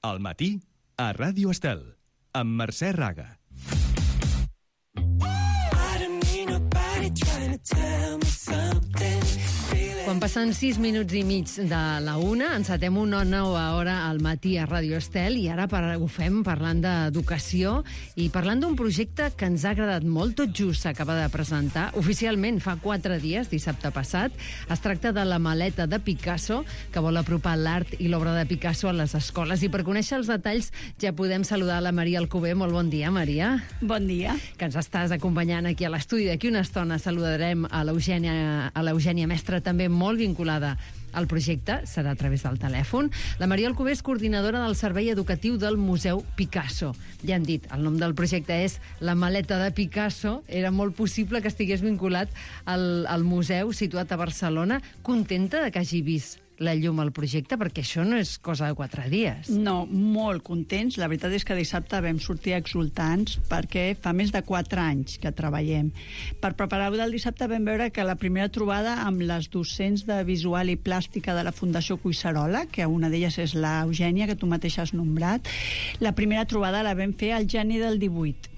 Al matí, a Ràdio Estel, amb Mercè Raga. Quan passen 6 minuts i mig de la 1, encetem una nova hora al matí a Ràdio Estel i ara ho fem parlant d'educació i parlant d'un projecte que ens ha agradat molt. Tot just s'acaba de presentar oficialment fa 4 dies, dissabte passat. Es tracta de la maleta de Picasso, que vol apropar l'art i l'obra de Picasso a les escoles. I per conèixer els detalls ja podem saludar la Maria Alcover. Molt bon dia, Maria. Bon dia. Que ens estàs acompanyant aquí a l'estudi. D'aquí una estona saludarem a l'Eugènia Mestre, també molt vinculada al projecte, serà a través del telèfon. La Maria Alcover és coordinadora del Servei Educatiu del Museu Picasso. Ja han dit, el nom del projecte és La maleta de Picasso. Era molt possible que estigués vinculat al museu situat a Barcelona. Contenta de que hagi vist la llum al projecte, perquè això no és cosa de 4 dies. No, molt contents. La veritat és que dissabte vam sortir exultants perquè fa més de 4 anys que treballem. Per preparar-ho del dissabte vam veure que la primera trobada amb les docents de visual i plàstica de la Fundació Collserola, que una d'elles és l'Eugènia, que tu mateixa has nombrat, la primera trobada la vam fer al gener del 18.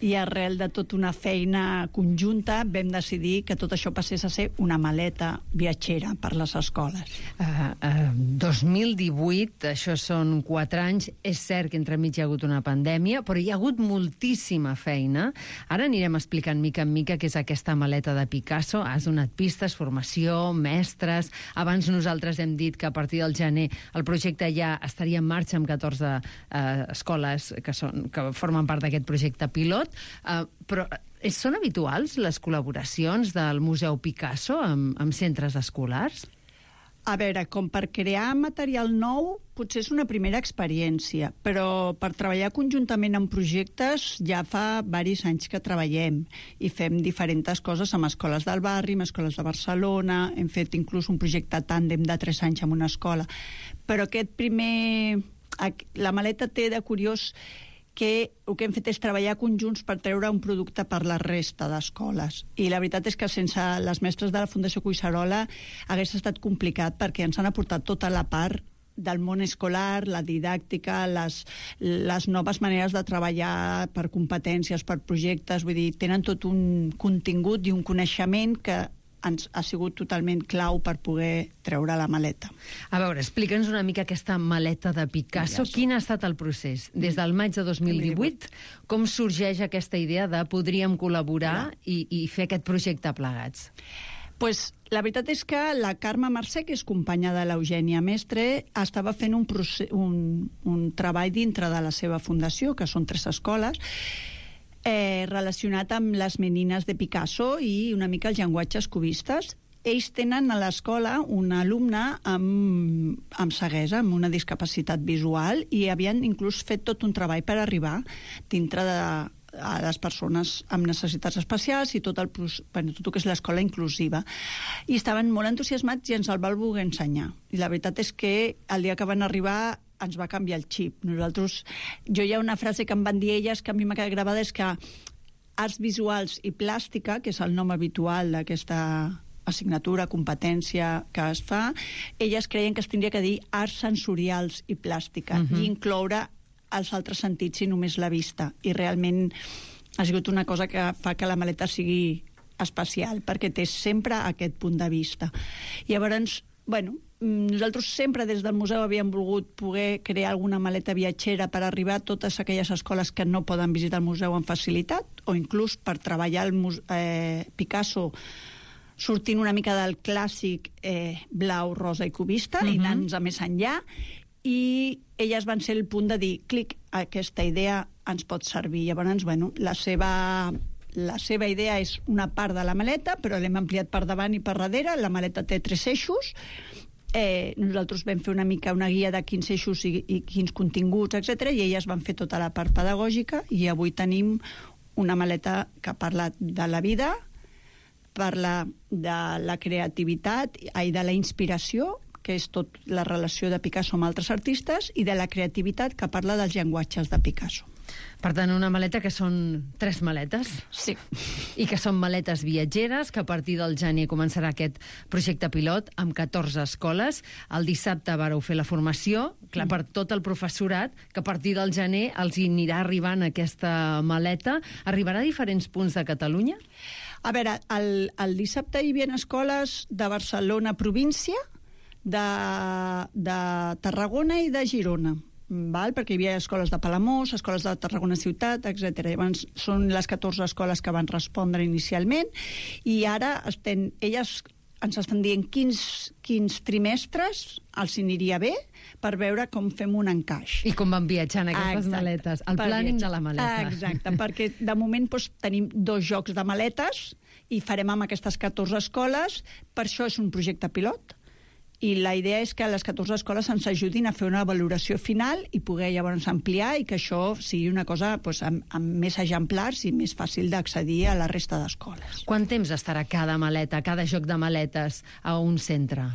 I arrel de tota una feina conjunta vam decidir que tot això passés a ser una maleta viatgera per les escoles. 2018, això són 4 anys. És cert que entremig hi ha hagut una pandèmia, però hi ha hagut moltíssima feina. Ara anirem explicant mica en mica què és aquesta maleta de Picasso. Has donat pistes, formació, mestres. Abans nosaltres hem dit que a partir del gener el projecte ja estaria en marxa amb 14 escoles que formen part d'aquest projecte pilot. Però són habituals les col·laboracions del Museu Picasso amb centres escolars? A veure, com per crear material nou potser és una primera experiència, però per treballar conjuntament en projectes ja fa diversos anys que treballem i fem diferents coses amb escoles del barri, amb escoles de Barcelona, hem fet inclús un projecte tàndem de 3 anys amb una escola, però la maleta té de curiós que el que hem fet és treballar conjunts per treure un producte per la resta d'escoles. I la veritat és que sense les mestres de la Fundació Collserola hagués estat complicat, perquè ens han aportat tota la part del món escolar, la didàctica, les noves maneres de treballar per competències, per projectes, vull dir, tenen tot un contingut i un coneixement que ens ha sigut totalment clau per poder treure la maleta. A veure, explica'ns una mica aquesta maleta de Picasso. Quin ha estat el procés? Des del maig de 2018, com sorgeix aquesta idea de podríem col·laborar i fer aquest projecte plegats? Pues, la veritat és que la Carme Mercè, que és companya de l'Eugènia Mestre, estava fent un treball dintre de la seva fundació, que són 3 escoles, relacionat amb les menines de Picasso i una mica els llenguatges cubistes. Ells tenen a l'escola un alumne amb ceguesa, amb una discapacitat visual, i havien inclús fet tot un treball per arribar dintre de a les persones amb necessitats especials i tot el que és l'escola inclusiva. I estaven molt entusiasmats i ens el van voler ensenyar. I la veritat és que el dia que van arribar ens va canviar el xip. Hi ha una frase que em van dir elles que a mi m'ha quedat gravada, és que arts visuals i plàstica, que és el nom habitual d'aquesta assignatura, competència que es fa, elles creien que es tindria que dir arts sensorials i plàstica i incloure els altres sentits i només la vista. I realment ha sigut una cosa que fa que la maleta sigui especial, perquè té sempre aquest punt de vista. I llavors, nosaltres sempre des del museu havíem volgut poder crear alguna maleta viatgera per arribar a totes aquelles escoles que no poden visitar el museu amb facilitat, o inclús per treballar el Picasso sortint una mica del clàssic blau, rosa i cubista i anant a més enllà. I elles van ser el punt de dir, clic, aquesta idea ens pot servir. Llavors, la seva idea és una part de la maleta, però l'hem ampliat per davant i per darrere. La maleta té 3 eixos. Nosaltres vam fer una mica una guia de quins eixos i quins continguts, etc. I elles van fer tota la part pedagògica, i avui tenim una maleta que parla de la vida, parla de la creativitat i de la inspiració, que és tot la relació de Picasso amb altres artistes, i de la creativitat, que parla dels llenguatges de Picasso. Per tant, una maleta que són 3 maletes. Sí. I que són maletes viatgeres, que a partir del gener començarà aquest projecte pilot amb 14 escoles. El dissabte vareu fer la formació, clar, per tot el professorat, que a partir del gener els hi anirà arribant aquesta maleta. Arribarà a diferents punts de Catalunya? A veure, el dissabte hi havia escoles de Barcelona província, de Tarragona i de Girona. Perquè hi havia escoles de Palamós, escoles de Tarragona ciutat, etc. Llavors, són les 14 escoles que van respondre inicialment i ara elles ens estan dient quins trimestres els aniria bé per veure com fem un encaix. I com van viatjant aquestes maletes. El planning de la maleta. Exacte, perquè de moment tenim 2 jocs de maletes i farem amb aquestes 14 escoles. Per això és un projecte pilot. I la idea és que les 14 escoles ens ajudin a fer una valoració final i poder llavors ampliar i que això sigui una cosa amb més exemplars i més fàcil d'accedir a la resta d'escoles. Quant temps estarà cada maleta, cada joc de maletes a un centre?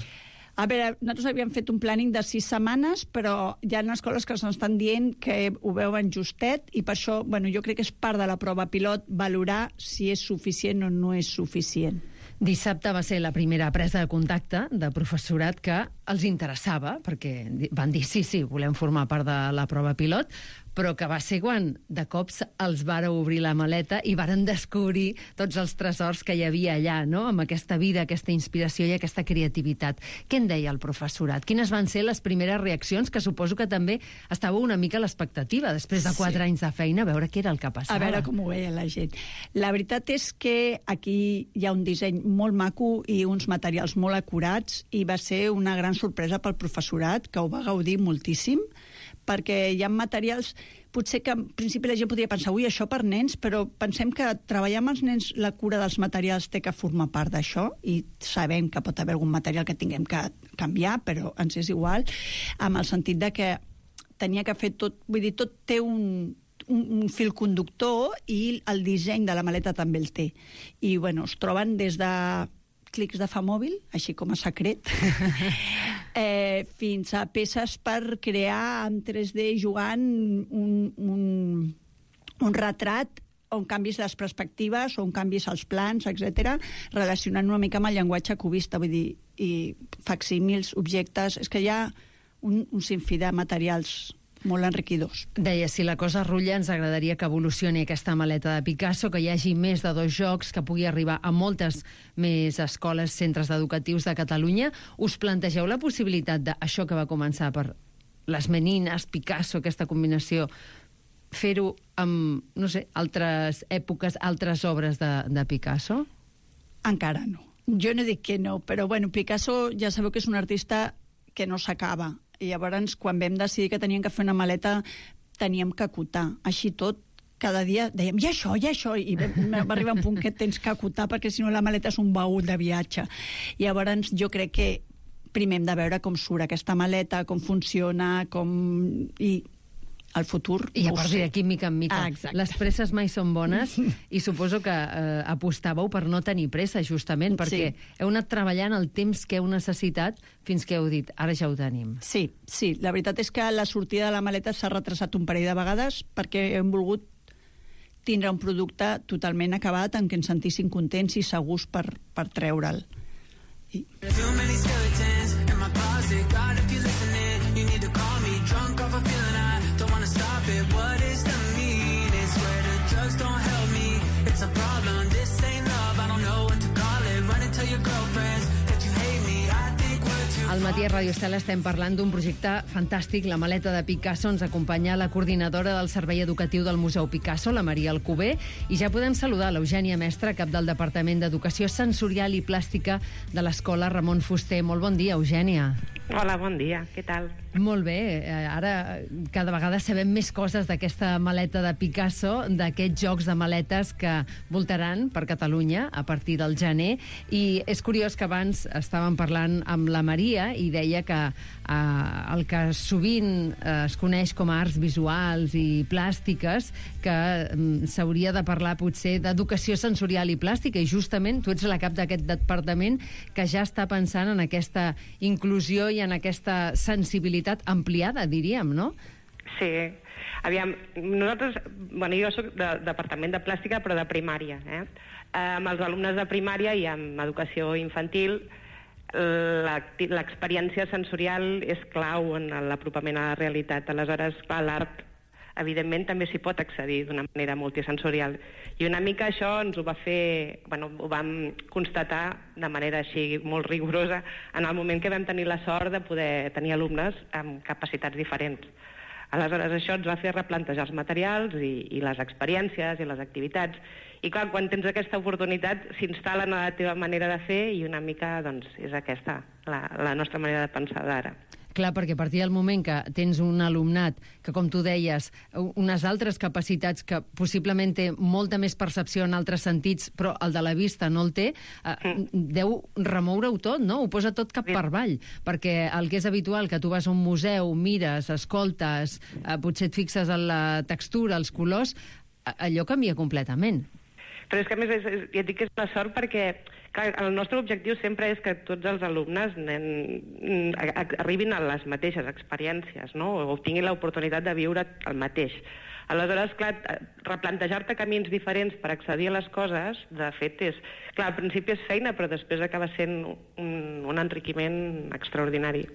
A veure, nosaltres havíem fet un planning de 6 setmanes, però hi ha escoles que ens estan dient que ho veuen justet i per això, jo crec que és part de la prova pilot valorar si és suficient o no és suficient. Dissabte va ser la primera presa de contacte de professorat que els interessava, perquè van dir sí, volem formar part de la prova pilot, però que va ser quan de cops els vàreu obrir la maleta i varen descobrir tots els tresors que hi havia allà, no? Amb aquesta vida, aquesta inspiració i aquesta creativitat. Què en deia el professorat? Quines van ser les primeres reaccions? Que suposo que també estàveu una mica a l'expectativa, després de 4 anys de feina, a veure què era el que passava. A veure com ho veia la gent. La veritat és que aquí hi ha un disseny molt maco i uns materials molt acurats i va ser una gran sorpresa pel professorat, que ho va gaudir moltíssim, perquè hi ha materials, potser que en principi la gent podria pensar, això per nens, però pensem que treballar amb els nens la cura dels materials té que formar part d'això i sabem que pot haver algun material que tinguem que canviar, però ens és igual, amb el sentit de que tenia que fer tot, tot té un fil conductor i el disseny de la maleta també el té. I, es troben des de clics de fa mòbil, així com a secret, fins a peces per crear en 3D jugant un retrat on canvis les perspectives, on canvis els plans, etc., relacionant una mica amb el llenguatge cubista, vull dir, i facsímils, objectes... És que hi ha un sinfí de materials molt enriquidors. Deia, si la cosa rutlla, ens agradaria que evolucioni aquesta maleta de Picasso, que hi hagi més de 2 jocs, que pugui arribar a moltes més escoles, centres educatius de Catalunya. Us plantegeu la possibilitat d'això que va començar per les menines, Picasso, aquesta combinació, fer-ho amb, altres èpoques, altres obres de Picasso? Encara no. Jo no dic que no, però Picasso ja sabeu que és un artista que no s'acaba. I llavors, quan vam decidir que teníem que fer una maleta, teníem que acotar. Així tot, cada dia dèiem, i això, i va arribar un punt que tens que acotar, perquè si no la maleta és un baúl de viatge. I llavors jo crec que primer hem de veure com surt aquesta maleta, com funciona, i el futur... I a partir d'aquí, mica en mica. Les presses mai són bones i suposo que apostàveu per no tenir pressa, justament, perquè heu anat treballant el temps que heu necessitat fins que heu dit, ara ja ho tenim. Sí. La veritat és que la sortida de la maleta s'ha retrasat un parell de vegades perquè hem volgut tindre un producte totalment acabat en què ens sentissin contents i segurs per treure'l. Al matí a Ràdio Estel estem parlant d'un projecte fantàstic, la maleta de Picasso. Ens acompanya la coordinadora del Servei Educatiu del Museu Picasso, la Maria Alcover, i ja podem saludar l'Eugènia Mestre, cap del Departament d'Educació Sensorial i Plàstica de l'Escola Ramon Fuster. Molt bon dia, Eugènia. Hola, bon dia. Què tal? Molt bé. Ara cada vegada sabem més coses d'aquesta maleta de Picasso, d'aquests jocs de maletes que voltaran per Catalunya a partir del gener. I és curiós que abans estàvem parlant amb la Maria i deia que el que sovint es coneix com a arts visuals i plàstiques, que s'hauria de parlar potser d'educació sensorial i plàstica, i justament tu ets la cap d'aquest departament que ja està pensant en aquesta inclusió i en aquesta sensibilitat ampliada, diríem, no? Sí. Aviam, nosaltres... Bueno, jo soc del Departament de Plàstica, però de primària. Amb els alumnes de primària i amb educació infantil, l'experiència sensorial és clau en l'apropament a la realitat. Aleshores, clar, l'art, evidentment, també s'hi pot accedir d'una manera multisensorial. I una mica això ens ho va fer... Bueno, ho vam constatar de manera així molt rigorosa en el moment que vam tenir la sort de poder tenir alumnes amb capacitats diferents. Aleshores, això ens va fer replantejar els materials i les experiències i les activitats. I clar, quan tens aquesta oportunitat, s'instal·len a la teva manera de fer i una mica, doncs, és aquesta la nostra manera de pensar d'ara. Clar, perquè a partir del moment que tens un alumnat que, com tu deies, unes altres capacitats que possiblement té molta més percepció en altres sentits, però el de la vista no el té, deu remoure-ho tot, no? Ho posa tot cap per avall, perquè el que és habitual, que tu vas a un museu, mires, escoltes, potser et fixes en la textura, els colors, allò canvia completament. Però és que, a més, ja et dic que és la sort perquè clar, el nostre objectiu sempre és que tots els alumnes arribin a les mateixes experiències, no? O tinguin l'oportunitat de viure el mateix. Aleshores, clar, replantejar-te camins diferents per accedir a les coses, de fet, és... Clar, al principi és feina, però després acaba sent un enriquiment extraordinari.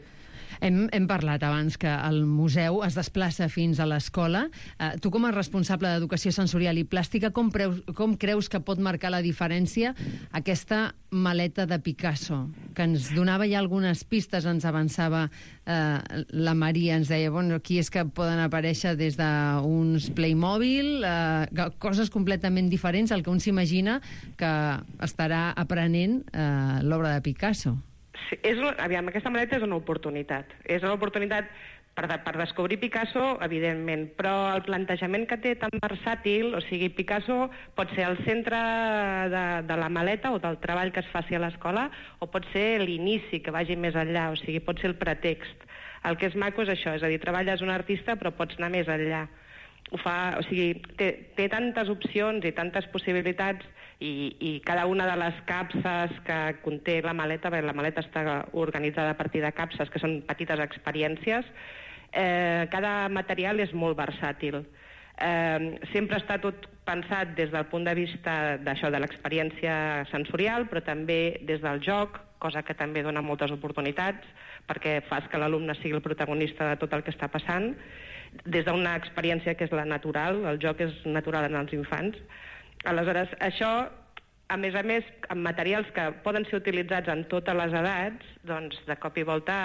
Hem parlat abans que el museu es desplaça fins a l'escola. Tu, com a responsable d'Educació Sensorial i Plàstica, com creus que pot marcar la diferència aquesta maleta de Picasso? Que ens donava ja algunes pistes, ens avançava la Maria, ens deia, bueno, aquí és que poden aparèixer des d'uns Playmobil, coses completament diferents al que un s'imagina que estarà aprenent l'obra de Picasso. Sí, aviam, aquesta maleta és una oportunitat. És una oportunitat per descobrir Picasso, evidentment, però el plantejament que té tan versàtil, o sigui, Picasso pot ser el centre de la maleta o del treball que es faci a l'escola, o pot ser l'inici, que vagi més enllà, o sigui, pot ser el pretext. El que és maco és això, és a dir, treballes un artista però pots anar més enllà. O sigui, té tantes opcions i tantes possibilitats i cada una de les capses que conté la maleta, la maleta està organitzada a partir de capses que són petites experiències, cada material és molt versàtil. Sempre està tot pensat des del punt de vista d'això, de l'experiència sensorial, però també des del joc, cosa que també dona moltes oportunitats, perquè fas que l'alumne sigui el protagonista de tot el que està passant, des d'una experiència que és la natural, el joc és natural en els infants. Aleshores, això, a més, amb materials que poden ser utilitzats en totes les edats, doncs de cop i volta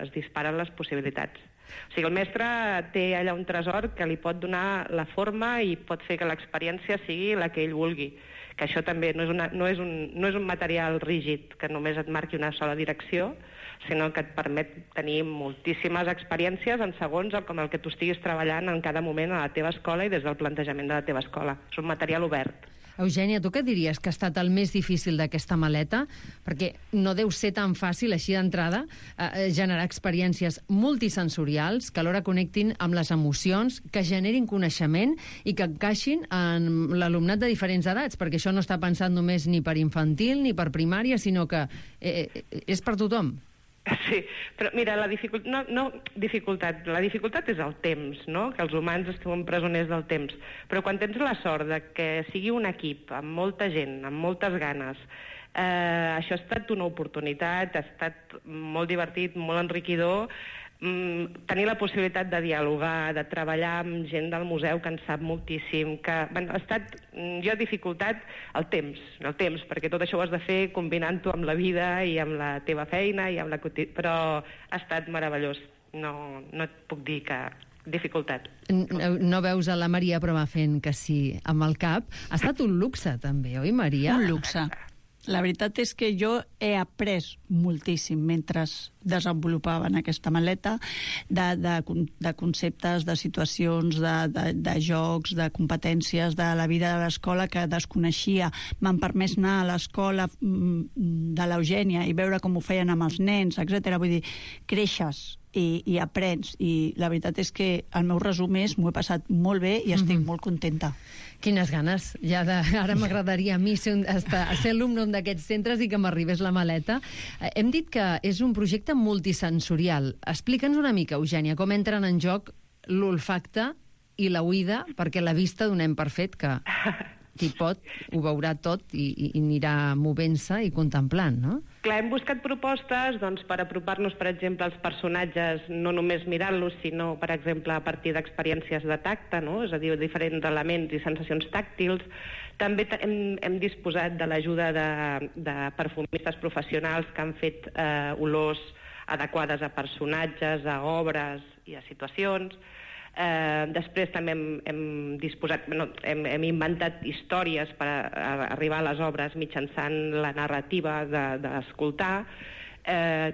es disparen les possibilitats. O sigui, el mestre té allà un tresor que li pot donar la forma i pot fer que l'experiència sigui la que ell vulgui. Que això també no és un material rígid que només et marqui una sola direcció, sinó que et permet tenir moltíssimes experiències en segons com el que tu estiguis treballant en cada moment a la teva escola i des del plantejament de la teva escola. És un material obert. Eugènia, tu què diries que ha estat el més difícil d'aquesta maleta? Perquè no deu ser tan fàcil, així d'entrada, generar experiències multisensorials que alhora connectin amb les emocions, que generin coneixement i que encaixin en l'alumnat de diferents edats, perquè això no està pensat només ni per infantil ni per primària, sinó que és per tothom. Sí, però mira, la dificultat és el temps, no? Que els humans estem presoners del temps. Però quan tens la sort de que sigui un equip amb molta gent, amb moltes ganes, això ha estat una oportunitat, ha estat molt divertit, molt enriquidor, tenir la possibilitat de dialogar, de treballar amb gent del museu que en sap moltíssim, que ha estat, jo, dificultat el temps, perquè tot això ho has de fer combinant-ho amb la vida i amb la teva feina, però ha estat meravellós. No et puc dir que dificultat. No veus a la Maria, però va fent que sí amb el cap. Ha estat un luxe, també, oi, Maria? Un luxe. La veritat és que jo he après moltíssim mentre desenvolupaven aquesta maleta de conceptes, de situacions, de jocs, de competències de la vida de l'escola que desconeixia. M'han permès anar a l'escola de l'Eugènia i veure com ho feien amb els nens, etc. Vull dir, creixes i aprens, i la veritat és que el meu resum és m'ho he passat molt bé i estic molt contenta. Quines ganes, ara m'agradaria a mi ser alumne d'aquests centres i que m'arribés la maleta. Hem dit que és un projecte multisensorial. Explica'ns una mica, Eugènia, com entren en joc l'olfacte i la oïda, perquè la vista donem per fet que qui pot ho veurà tot i anirà movent-se i contemplant, no? Clar, hem buscat propostes per apropar-nos, per exemple, als personatges, no només mirant-los, sinó, per exemple, a partir d'experiències de tacte, no? És a dir, diferents elements i sensacions tàctils. També hem disposat de l'ajuda de perfumistes professionals que han fet olors adequades a personatges, a obres i a situacions. Després també hem inventat històries per arribar a les obres mitjançant la narrativa d'escoltar.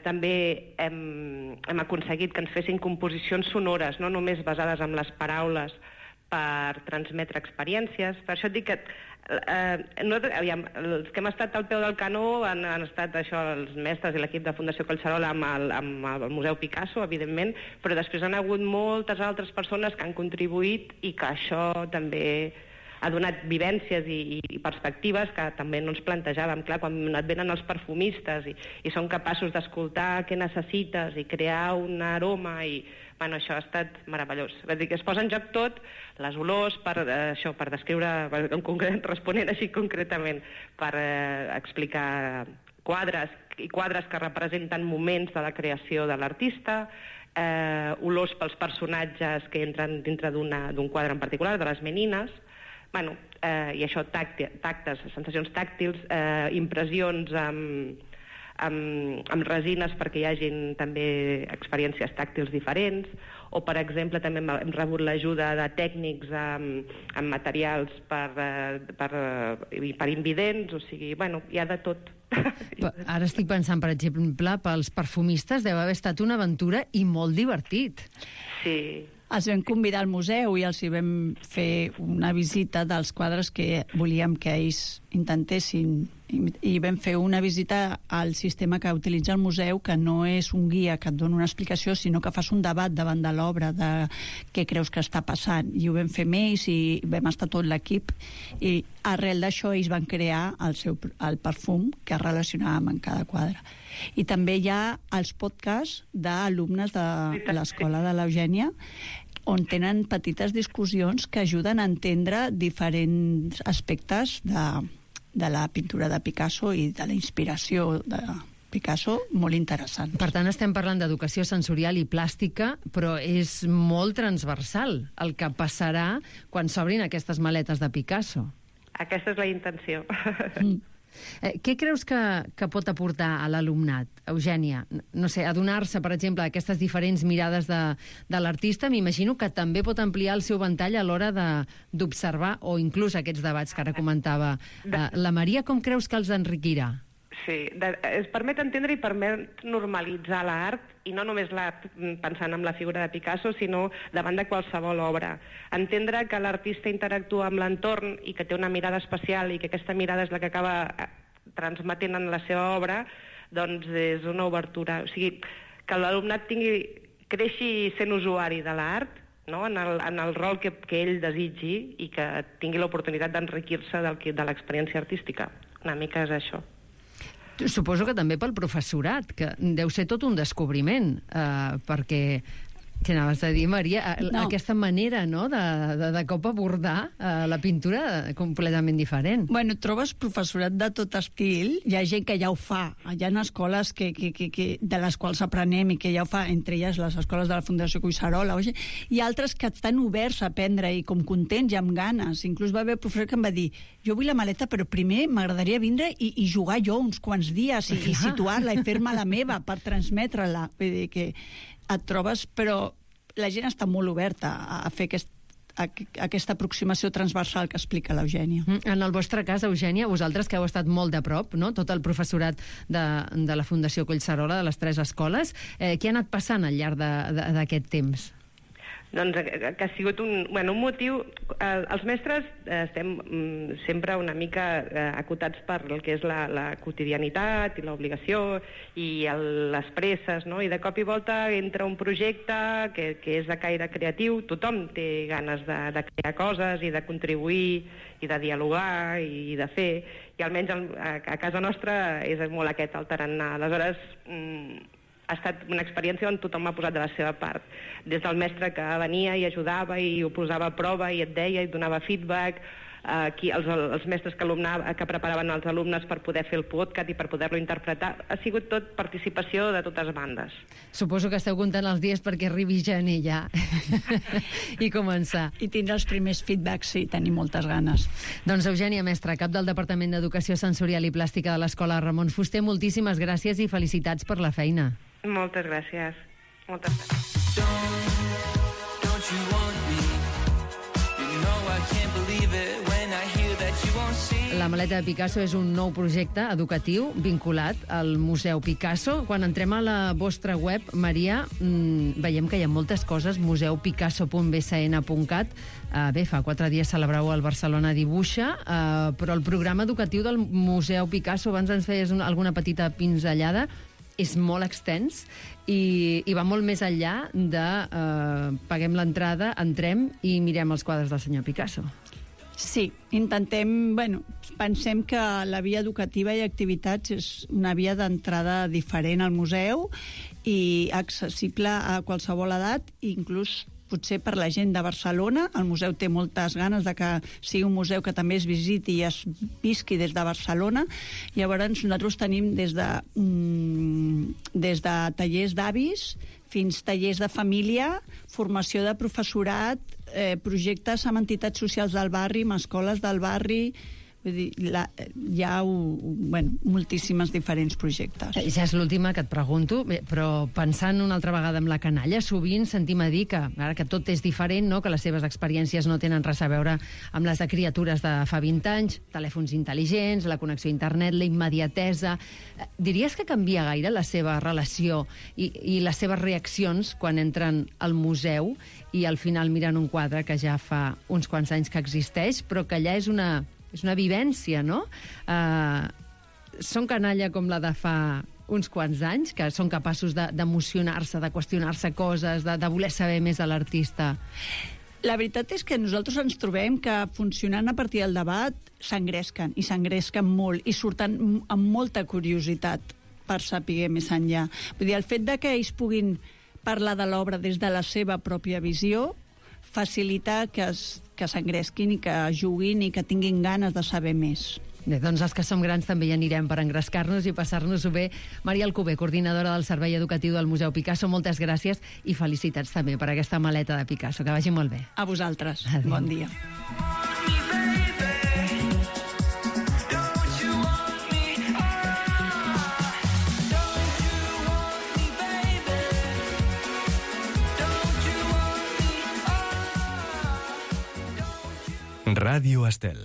També hem aconseguit que ens fessin composicions sonores, no només basades en les paraules, per transmetre experiències. Per això et dic que els que hem estat al peu del canó han estat els mestres i l'equip de Fundació Collserola amb el Museu Picasso, evidentment, però després han hagut moltes altres persones que han contribuït i que això també ha donat vivències i perspectives que també no ens plantejàvem. Clar, quan et venen els perfumistes i són capaços d'escoltar què necessites i crear un aroma i... Bueno, això ha estat meravellós. És a dir, que es posa en joc tot, les olors, per descriure, responent així concretament, per explicar quadres que representen moments de la creació de l'artista, olors pels personatges que entren dintre d'un quadre en particular, de les menines, bueno, i això, tactes, sensacions tàctils, impressions amb resines perquè hi hagin també experiències tàctils diferents, o, per exemple, també hem rebut l'ajuda de tècnics amb materials per invidents, o sigui, bueno, hi ha de tot. Ara estic pensant, per exemple, pels perfumistes deu haver estat una aventura i molt divertit. Sí. Els vam convidar al museu i els hi vam fer una visita dels quadres que volíem que ells intentessin, i vam fer una visita al sistema que utilitza el museu, que no és un guia que et dona una explicació, sinó que fas un debat davant de l'obra de què creus que està passant, i ho vam fer amb ells i vam estar tot l'equip, i arrel d'això ells van crear el perfum que es relacionava amb cada quadre. I també hi ha els podcasts d'alumnes de l'escola de l'Eugènia, on tenen petites discussions que ajuden a entendre diferents aspectes de la pintura de Picasso i de la inspiració de Picasso, molt interessant. Per tant, estem parlant d'educació sensorial i plàstica, però és molt transversal el que passarà quan s'obrin aquestes maletes de Picasso. Aquesta és la intenció. Què creus que pot aportar a l'alumnat, Eugènia? No sé, adonar-se, per exemple, d'aquestes diferents mirades de l'artista, m'imagino que també pot ampliar el seu ventall a l'hora d'observar, o inclús aquests debats que ara comentava la Maria. Com creus que els enriquirà? Sí, es permet entendre i permet normalitzar l'art, i no només l'art pensant en la figura de Picasso, sinó davant de qualsevol obra. Entendre que l'artista interactua amb l'entorn i que té una mirada especial i que aquesta mirada és la que acaba transmetent en la seva obra, doncs és una obertura. O sigui, que l'alumnat creixi sent usuari de l'art, no? en el rol que ell desitgi, i que tingui l'oportunitat d'enriquir-se de l'experiència artística. Una mica és això. Suposo que també pel professorat, que deu ser tot un descobriment, perquè, què anaves a dir, Maria? No. Aquesta manera, no?, de cop abordar la pintura completament diferent. Bueno, trobes professorat de tot estil, hi ha gent que ja ho fa, hi ha escoles de les quals aprenem i que ja ho fa, entre elles les escoles de la Fundació Collserola, i altres que estan oberts a aprendre i com contents i amb ganes. Inclús va haver un professor que em va dir: jo vull la maleta, però primer m'agradaria vindre i jugar jo uns quants dies i situar-la i fer-me la meva per transmetre-la. Vull dir que et trobes, però la gent està molt oberta a fer aquesta aproximació transversal que explica l'Eugènia. En el vostre cas, Eugènia, vosaltres que heu estat molt de prop, no?, tot el professorat de la Fundació Collserola, de les 3 escoles, què ha anat passant al llarg d'aquest temps? Doncs que ha sigut un motiu... Els mestres estem sempre una mica acotats per el que és la quotidianitat i l'obligació i les presses, no? I de cop i volta entra un projecte que és de caire creatiu, tothom té ganes de crear coses i de contribuir i de dialogar i de fer, i almenys a casa nostra és molt aquest el tarannà. Aleshores, ha estat una experiència on tothom ha posat de la seva part. Des del mestre que venia i ajudava i ho posava a prova i et deia i donava feedback, els mestres que preparaven els alumnes per poder fer el podcast i per poder-lo interpretar. Ha sigut tot participació de totes bandes. Suposo que esteu comptant els dies perquè arribi gener ja i començar. I tindre els primers feedbacks, sí, tenim moltes ganes. Doncs Eugènia Mestre, cap del Departament d'Educació Sensorial i Plàstica de l'Escola Ramon Fuster, moltíssimes gràcies i felicitats per la feina. Moltes gràcies. Moltes gràcies. Don't you want me? You know I can't believe it when I hear that you won't see. La maleta de Picasso és un nou projecte educatiu vinculat al Museu Picasso. Quan entrem a la vostra web, Maria, veiem que hi ha moltes coses, museupicasso.bcn.cat. Bé, fa 4 dies celebrau el Barcelona Dibuixa, però el programa educatiu del Museu Picasso, abans ens feies alguna petita pinzellada, és molt extens i va molt més enllà de paguem l'entrada, entrem i mirem els quadres del senyor Picasso. Sí, pensem que la via educativa i activitats és una via d'entrada diferent al museu i accessible a qualsevol edat, inclús potser per la gent de Barcelona. El museu té moltes ganes de que sigui un museu que també es visiti i es visqui des de Barcelona. Llavors nosaltres tenim des de tallers d'avis fins tallers de família, formació de professorat, projectes amb entitats socials del barri, amb escoles del barri. Vull dir, hi ha moltíssimes diferents projectes. Ja és l'última que et pregunto, però pensant una altra vegada en la canalla, sovint sentim a dir que, ara que tot és diferent, no? Que les seves experiències no tenen res a veure amb les de criatures de fa 20 anys, telèfons intel·ligents, la connexió a internet, la immediatesa. Diries que canvia gaire la seva relació i les seves reaccions quan entren al museu i al final miren un quadre que ja fa uns quants anys que existeix, però que allà és una vivència, no? Són canalla com la de fa uns quants anys, que són capaços d'emocionar-se, de qüestionar-se coses, de voler saber més de l'artista. La veritat és que nosaltres ens trobem que funcionant a partir del debat s'engresquen, i s'engresquen molt, i surten amb molta curiositat per saber més enllà. Vull dir, el fet de que ells puguin parlar de l'obra des de la seva pròpia visió facilita que s'engresquin i que juguin i que tinguin ganes de saber més. Bé, doncs els que som grans també hi anirem per engrescar-nos i passar-nos-ho bé. Maria Alcover, coordinadora del Servei Educatiu del Museu Picasso, moltes gràcies i felicitats també per aquesta maleta de Picasso. Que vagi molt bé. A vosaltres. Adéu. Bon dia. Ràdio Estel.